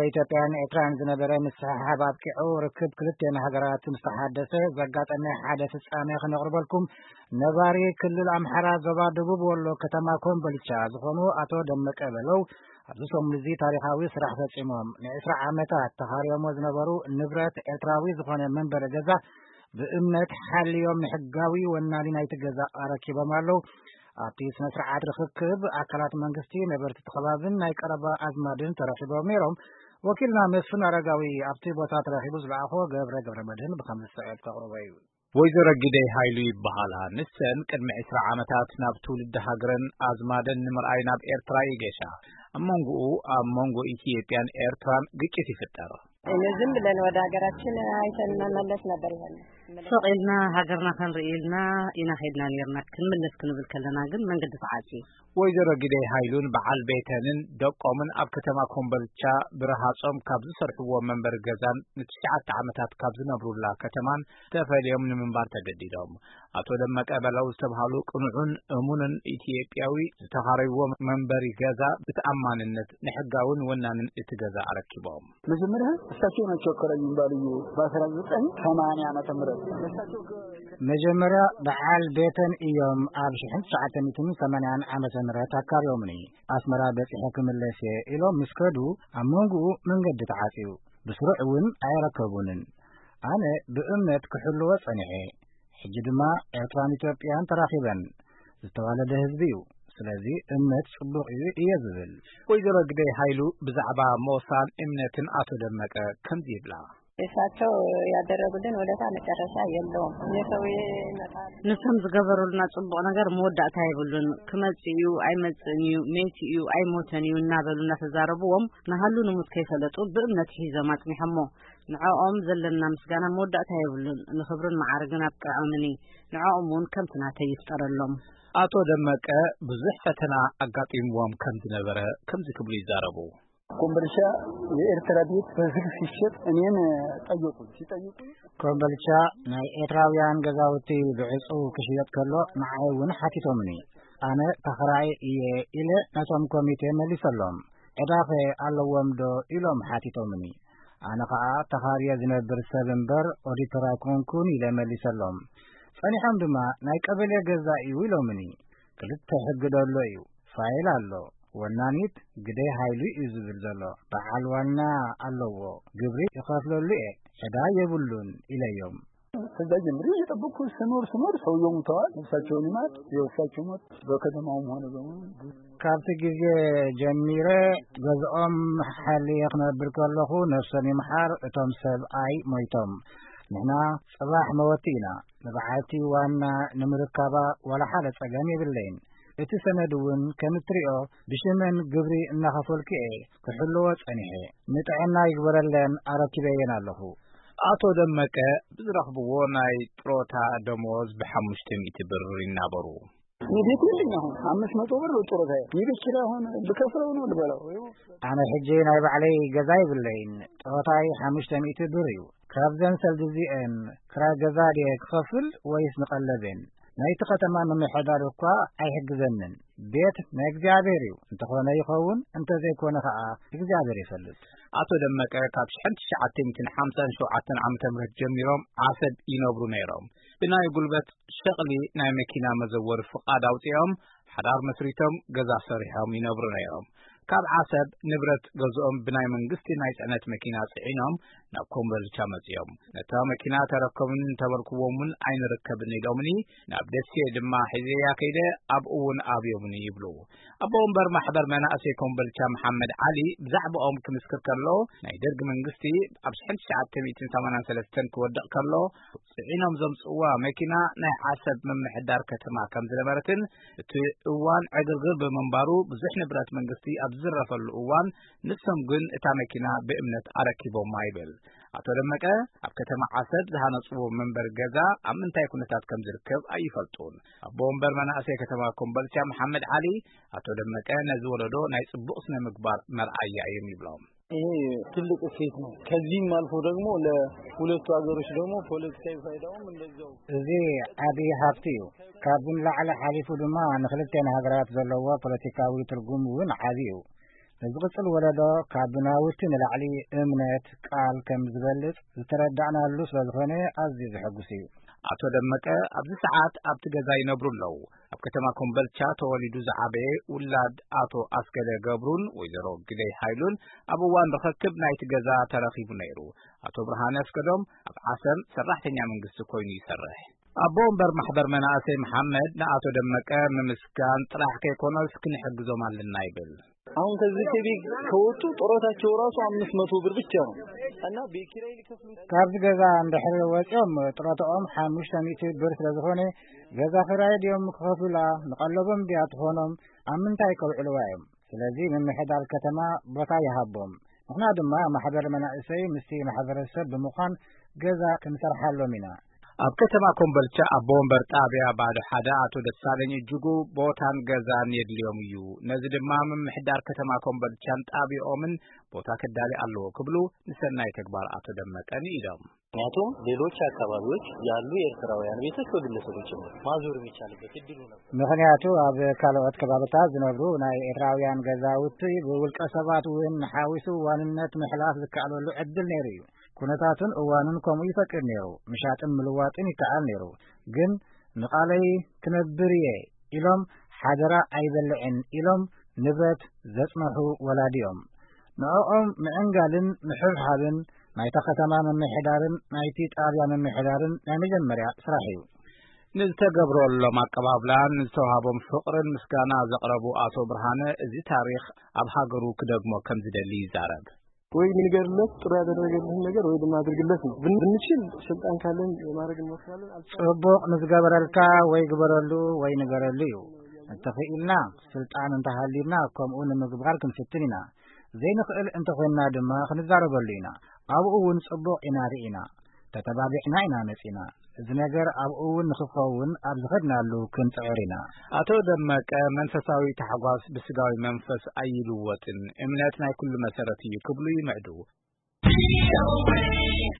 ኢትዮጵያን ኤርትራን ዝነበረ ምስሕሓብ ኣብቂዑ፣ ርክብ ክልቴን ሃገራት ምስ ተሓደሰ ዘጋጠመ ሓደ ፍጻሜ ክነቕርበልኩም። ነባሪ ክልል ኣምሓራ፣ ዞባ ደቡብ ወሎ፣ ከተማ ኮምቦልቻ ዝኾኑ ኣቶ ደመቀ በለው፣ ኣብዚ ሰሙን እዚ ታሪኻዊ ስራሕ ፈጺሞም። ንዕስራ ዓመታት ተኻርዮሞ ዝነበሩ ንብረት ኤርትራዊ ዝኾነ መንበሪ ገዛ ብእምነት ሓልዮም ንሕጋዊ ወናኒ ናይቲ ገዛ ኣረኪቦም ኣለዉ። ኣብቲ ስነ ስርዓት ርኽክብ፣ ኣካላት መንግስቲ፣ ነበርቲ እቲ ከባብን ናይ ቀረባ ኣዝማድን ተረኺቦም ነይሮም። ወኪልና መስፍን ኣረጋዊ ኣብቲ ቦታ ተረኺቡ ዝለኣኾ ገብረ ገብረ መድህን ብኸምዚ ዝስዕብ ከቕርቦ እዩ። ወይዘሮ ግደይ ሃይሉ ይበሃላ። ንሰን ቅድሚ ዕስራ ዓመታት ናብ ትውልዲ ሃገረን ኣዝማደን ንምርኣይ ናብ ኤርትራ ይገሻ። ኣብ መንጎኡ፣ ኣብ መንጎ ኢትዮጵያን ኤርትራን ግጭት ይፍጠር። እኔ ዝም ብለን ወደ ሀገራችን አይተን መመለስ ነበር ይሆን። ስቕ ኢልና ሃገርና ክንርኢ ኢልና ኢና ኸይድና ነይርና። ክንምለስ ክንብል ከለና ግን መንገዲ ተዓጽዩ። ወይዘሮ ግደይ ሃይሉን በዓል ቤተንን ደቆምን ኣብ ከተማ ኮምቦልቻ ብረሃጾም ካብ ዝሰርሕዎ መንበሪ ገዛን ንትሽዓተ ዓመታት ካብ ዝነብሩላ ከተማን ተፈልዮም ንምንባር ተገዲዶም። ኣቶ ደመቀ በለው ዝተብሃሉ ቅኑዕን እሙንን ኢትዮጵያዊ ዝተኻረይዎ መንበሪ ገዛ ብተኣማንነት ንሕጋውን ወናንን እቲ ገዛ ኣረኪቦም። መጀመሪያ እሳቸው ናቸው አከራዩን ባልዮ በአስራ ዘጠኝ ሰማንያ ዓመተ ምህረት እሳቸው ከ- መጀመርያ በዓል ቤተን እዮም ኣብ ሽሕን ትሽዓተ ሚእትን ሰማንያን ዓመተ ምህረት ኣካርዮምኒ። ኣስመራ በጺሐ ክምለስ እየ ኢሎም ምስ ከዱ፣ ኣብ መንጎኡ መንገዲ ተዓጽዩ። ብስሩዕ እውን ኣይረከቡንን። ኣነ ብእምነት ክሕልዎ ጸኒሐ። ሕጂ ድማ ኤርትራን ኢትዮጵያን ተራኺበን። ዝተዋለደ ህዝቢ እዩ። ስለዚ እምነት ጽቡቕ እዩ እየ ዝብል። ወይዘሮ ግደይ ሃይሉ ብዛዕባ ሞሳን እምነትን ኣቶ ደመቀ ከምዚ ይብላ። እሳቸው ያደረጉልን ውለታ መጨረሻ የለውም። እኔ ሰውዬ ይመጣል። ንሶም ዝገበሩልና ጽቡቕ ነገር መወዳእታ የብሉን። ክመጽእ እዩ፣ ኣይመጽእን እዩ፣ ሜት እዩ፣ ኣይሞተን እዩ እናበሉ እናተዛረብዎም፣ ንሃሉ ንሙት ከይፈለጡ ብእምነት ሒዞም ኣጽኒሖሞ። ንዕኦም ዘለና ምስጋና መወዳእታ የብሉን። ንኽብርን መዓርግን ኣብቅዖምኒ። ንዕኦም እውን ከምቲ ናተይ ይፍጠረሎም። ኣቶ ደመቀ ብዙሕ ፈተና ኣጋጢምዎም ከም ዝነበረ ከምዚ ክብሉ ይዛረቡ። ኮምቦልቻ የኤርትራ ቤት በዝግ ሲሸጥ እኔን ጠየቁ። ሲጠይቁ ኮምቦልቻ ናይ ኤርትራውያን ገዛውቲ ብዕጹው ክሽየጥ ከሎ ንዓይ እውን ሓቲቶምኒ። ኣነ ተኸራይ እየ ኢለ ነቶም ኮሚቴ መሊሰሎም። ዕዳኸ ኣለዎም ዶ ኢሎም ሓቲቶምኒ። ኣነ ኸኣ ተኻርየ ዝነብር ሰብ እምበር ኦዲተር ኣይኮንኩን ኢለ መሊሰሎም። ጸኒሖም ድማ ናይ ቀበሌ ገዛ እዩ ኢሎምኒ። ክልተ ሕጊ ደሎ እዩ። ፋይል ኣሎ። ወናኒት ግደይ ሃይሉ እዩ ዝብል ዘሎ። በዓል ዋና ኣለዎ። ግብሪ ይኸፍለሉ እየ። ዕዳ የብሉን ኢለዮም። ከዛ ጀምሬ እየጠበቅኩ ስኖር ስኖር ሰውየው ሙተዋል። ነፍሳቸውን ይማር። የእሳቸው ሞት በከተማውም ሆነ በሙሉ ካብቲ ግዜ ጀሚረ ገዝኦም ሓልየ ክነብር ከለኹ ነፍሶም ይምሓር እቶም ሰብኣይ ሞይቶም። ንሕና ጽባሕ መወቲ ኢና። ንበዓልቲ ዋና ንምርካባ ዋላ ሓደ ጸገም የብለይን። እቲ ሰነድ እውን ከም እትሪኦ ብሽመን ግብሪ እናኸፈልኩ እየ ክሕልዎ ጸኒሐ። ንጥዕና ይግበረለን ኣረኪበየን ኣለኹ። ኣቶ ደመቀ ብዝረኽብዎ ናይ ጥሮታ ደሞዝ ብሓሙሽተ ሚእቲ ብር ይናበሩ። እኔ ቤት የለኝ። አሁን አምስት መቶ ብር ነው ጡረታዬ። የቤት ኪራይ አሁን ብከፍለው ነው ልበላው። አነ ሕጂ ናይ ባዕለይ ገዛ የብለይን። ጥሮታይ ሓሙሽተ ሚእቲ ብር እዩ። ካብዘን ሰልዲ እዚአን ክራይ ገዛ ድየ ክኸፍል ወይስ ንቐለቤን? ናይቲ ከተማ ምምሕዳር እኳ ኣይሕግዘንን። ቤት ናይ እግዚኣብሔር እዩ። እንተኾነ ይኸውን፣ እንተዘይኮነ ኸኣ እግዚኣብሔር ይፈልጥ። ኣቶ ደመቀ ካብ ሽሕን ትሽዓተ ሚእትን ሓምሳን ሸውዓተን ዓመተ ምህረት ጀሚሮም ዓሰብ ይነብሩ ነይሮም። ብናይ ጉልበት ሸቕሊ ናይ መኪና መዘወሪ ፍቓድ ኣውጺኦም፣ ሓዳር መስሪቶም፣ ገዛ ሰሪሖም ይነብሩ ነይሮም። ካብ ዓሰብ ንብረት ገዝኦም ብናይ መንግስቲ ናይ ጽዕነት መኪና ጽዒኖም ናብ ኮምቦልቻ መጺኦም። ነታ መኪና ተረከቡኒ እንተበልክዎም እውን ኣይንርከብን ኢሎምኒ፣ ናብ ደሴ ድማ ሒዘያ ከይደ ኣብኡ እውን ኣብዮምኒ ይብሉ። ኣቦ ወንበር ማሕበር መናእሰይ ኮምቦልቻ መሓመድ ዓሊ ብዛዕባኦም ክምስክር ከሎ፣ ናይ ደርግ መንግስቲ ኣብ ሽሕን ትሽዓተ ሚእትን ሰማንያን ሰለስተን ክወድቕ ከሎ፣ ጽዒኖም ዘምጽእዋ መኪና ናይ ዓሰብ ምምሕዳር ከተማ ከም ዝነበረትን እቲ እዋን ዕግርግር ብምንባሩ ብዙሕ ንብረት መንግስቲ ኣብ ዝዝረፈሉ እዋን ንሶም ግን እታ መኪና ብእምነት ኣረኪቦማ ይብል። ኣቶ ደመቀ ኣብ ከተማ ዓሰብ ዝሃነጽዎ መንበሪ ገዛ ኣብ ምንታይ ኩነታት ከም ዝርከብ ኣይፈልጡን። ኣቦ ወንበር መናእሰይ ከተማ ኮምቦልቻ መሓመድ ዓሊ ኣቶ ደመቀ ነዚ ወለዶ ናይ ጽቡቕ ስነ ምግባር መርኣያ እዮም ይብሎም። ይሄ ትልቅ እሴት ነው። ከዚህም አልፎ ደግሞ ለሁለቱ ሀገሮች ደግሞ ፖለቲካዊ ፋይዳውም እንደዛው። እዚ ዓቢ ሃብቲ እዩ። ካብዚ ንላዕሊ ሓሊፉ ድማ ንክልቴን ሃገራት ዘለዎ ፖለቲካዊ ትርጉም እውን ዓቢ እዩ። ንዝቕጽል ወለዶ ካብ ናውቲ ንላዕሊ እምነት፣ ቃል ከም ዝበልጽ ዝተረዳእናሉ ስለ ዝኾነ ኣዝዩ ዘሐጉስ እዩ። ኣቶ ደመቀ ኣብዚ ሰዓት ኣብቲ ገዛ ይነብሩ ኣለዉ። ኣብ ከተማ ኮምበልቻ ተወሊዱ ዝዓበየ ውላድ ኣቶ ኣስገደ ገብሩን ወይዘሮ ግደይ ሃይሉን ኣብ እዋን ርኽክብ ናይቲ ገዛ ተረኺቡ ነይሩ። ኣቶ ብርሃነ ኣስገዶም ኣብ ዓሰብ ሰራሕተኛ መንግስቲ ኮይኑ ይሰርሕ። ኣቦ ወንበር ማሕበር መናእሰይ መሓመድ ንኣቶ ደመቀ ምምስጋን ጥራሕ ከይኮነስ ክንሕግዞም ኣለና ይብል። አሁን ከዚህ ከቤት ከወጡ ጡረታቸው ራሱ አምስት መቶ ብር ብቻ ነው እና ቤት ኪራይ ሊከፍሉ ካብዚ ገዛ እንድሕር ወፂኦም ጥሮታኦም ሓሙሽተ ሚእቲ ብር ስለ ዝኾነ ገዛ ክራይ ድዮም ክኸፍሉላ? ንቐለቦም ድያ ትኾኖም? ኣብ ምንታይ ከውዕልዋ እዮም? ስለዚ ምምሕዳር ከተማ ቦታ ይሃቦም። ንሕና ድማ ማሕበር መናእሰይ ምስቲ ማሕበረሰብ ብምዃን ገዛ ክንሰርሓሎም ኢና። ኣብ ከተማ ኮምበልቻ ኣቦ ወንበር ጣብያ ባዶ ሓደ ኣቶ ደሳለኝ እጅጉ ቦታን ገዛን የድልዮም እዩ። ነዚ ድማ ምምሕዳር ከተማ ኮምበልቻን ጣብያኦምን ቦታ ክዳሊ ኣለዎ ክብሉ ንሰናይ ተግባር ኣቶ ደመቀ ንኢዶም። ምክንያቱም ሌሎች አካባቢዎች ያሉ የኤርትራውያን ቤቶች በግለሰቦች ጭምር ማዞር የሚቻልበት እድሉ ነበር። ምኽንያቱ ኣብ ካልኦት ከባብታት ዝነብሩ ናይ ኤርትራውያን ገዛውቲ ብውልቀ ሰባት እውን ሓዊሱ ዋንነት ምሕላፍ ዝከኣለሉ ዕድል ነይሩ እዩ። ኩነታቱን እዋኑን ከምኡ ይፈቅድ ነይሩ። ምሻጥን ምልዋጥን ይከኣል ነይሩ። ግን ንቓለይ ክነብር እየ ኢሎም ሓደራ ኣይበልዕን ኢሎም ንብረት ዘጽንሑ ወላዲ እዮም። ንዕኦም ምዕንጋልን ምሕብሓብን ናይታ ከተማ ምምሕዳርን ናይቲ ጣብያ ምምሕዳርን ናይ መጀመርያ ስራሕ እዩ። ንዝተገብረሎም ኣቀባብላን ንዝተዋሃቦም ፍቕርን ምስጋና ዘቕረቡ ኣቶ ብርሃነ፣ እዚ ታሪኽ ኣብ ሃገሩ ክደግሞ ከም ዝደሊ ይዛረብ። ወይ ንገርለት ጥሩ ያደረገልህን ነገር ወይ ድማ አድርግለት ነው። ብን-፣ ብንችል ስልጣን ካለን ማድረግ እንሞክራለን። አልቻ- ጽቡቕ ንዝገበረልካ ወይ ግበረሉ ወይ ንገረሉ እዩ። እንተኽኢልና ስልጣን እንተሃልዩና ከምኡ ንምግባር ክንፍትን ኢና። ዘይንኽእል እንተኾይንና ድማ ክንዛረበሉ ኢና። ኣብኡ እውን ጽቡቕ ኢና ርኢና። ተተባቢዕና ኢና መጺና። እዚ ነገር ኣብኡ እውን ንኽኸውን ኣብ ዝኸድናሉ ክንጽዕር ኢና። ኣቶ ደመቀ መንፈሳዊ ታሕጓስ ብስጋዊ መንፈስ ኣይልወጥን፣ እምነት ናይ ኩሉ መሰረት እዩ ክብሉ ይምዕዱ።